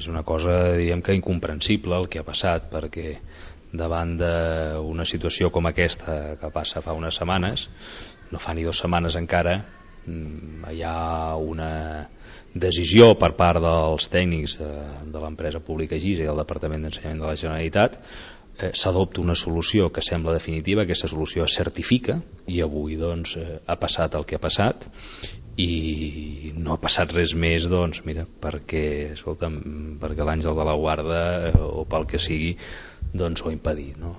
És una cosa, diríem que incomprensible el que ha passat, perquè davant d'una situació com aquesta que passa fa unes setmanes, no fa ni 2 setmanes encara, hi ha una decisió per part dels tècnics de l'empresa pública GIS i del Departament d'Ensenyament de la Generalitat. S'adopta una solució que sembla definitiva, aquesta solució es certifica, i avui doncs ha passat el que ha passat, i no ha passat res més, doncs mira, perquè l'Àngel de la Guarda o pel que sigui doncs ho ha impedit, no?